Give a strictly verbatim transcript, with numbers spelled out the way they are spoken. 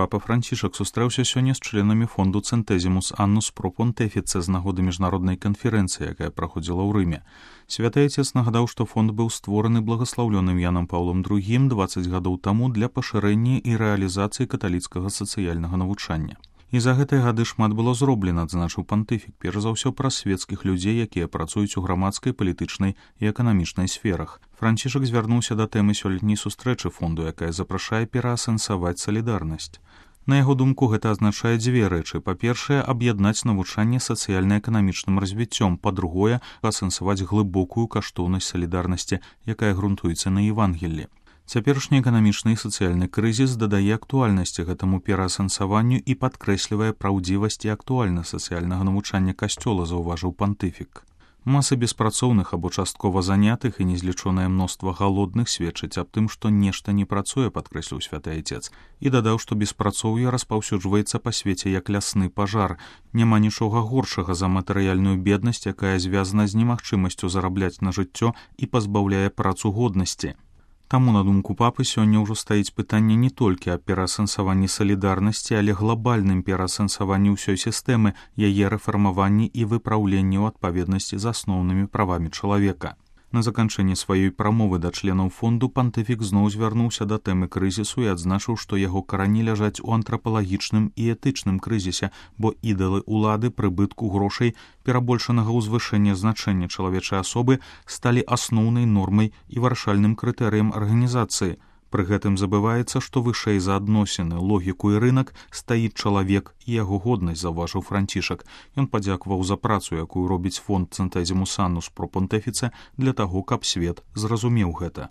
Папа Францішак сустрэўся сёння з членамі фонду Centesimus Annus Pro Pontifice з нагоды міжнароднай канферэнцыі, якая праходзіла ў Рыме. Святы Отец нагадаў, што фонд быў створаны благаслаўлёным Янам Паўлам другім дваццаць гадоў таму для пашырэння і рэалізацыі каталіцкага сацыяльнага навучання. І за гэтыя гады шмат было зроблена, адзначыў пантыфік, перш за ўсё праз свецкіх людзей, якія працуюць у грамадскай, палітычнай і эканамічнай сферах. Францішак звярнуўся да тэмы сёлетняй сустрэчы фонду, якая запрашае пераасэнсаваць салідарнасць. На яго думку, гэта азначае дзве рэчы. Па-першае, аб'яднаць навучанне сацыяльна-эканамічным развіццём. Па-другое, асэнсаваць глыбокую каштоўнасць салідарнасці, якая грунтуецца на Евангеллі. Цяперашні эканамічны і сацыяльны крызіс дадае актуальнасці гэтаму пераасэнсаванню і падкрэслівае праўдзівасць і актуальнасць сацыяльнага навучання касцёла, заўважыў пантыфік. Масы беспрацоўных або часткова занятых і незлічонае мноства галодных сведчаць аб тым, што нешта не працуе, падкрэсліў святы Отец, і дадаў, што беспрацоўе распаўсюджваецца па свеце як лясны пажар. Няма нічога горшага за матэрыяльную беднасць, якая звязана з немагчымасцю зарабляць на жыццё і пазбаўляе працу годнасці. Таму, на думку папы, сёння ўжо стаіць пытанне не толькі аб пераасэнсаванні салідарнасці, але глобальным пераасэнсаванні ўсёй сістэмы, яе рэфармаванні і выпраўленні ў адпаведнасці з асноўнымі правамі чалавека. На заканчэнне сваёй прамовы да членаў фонду пантыфік зноў звярнуўся да тэмы крызісу і адзначыў, што яго карані ляжаць у антрапалагічным і этычным крызісе, бо ідалы улады, прыбытку, грошай, перабольшанага ўзвышэння значэння чалавечай асобы сталі асноўнай нормай і вырашальным крытэрыем арганізацыі. Пры гэтым забываецца, што вышэй за адносіны, логіку і рынак стаіць чалавек і яго годнасць, заўважыў Францішак. Ён падзякуваў за працу, якую робіць фонд Centesimus Annus Pro Pontifice для таго, каб свет зразумеў гэта.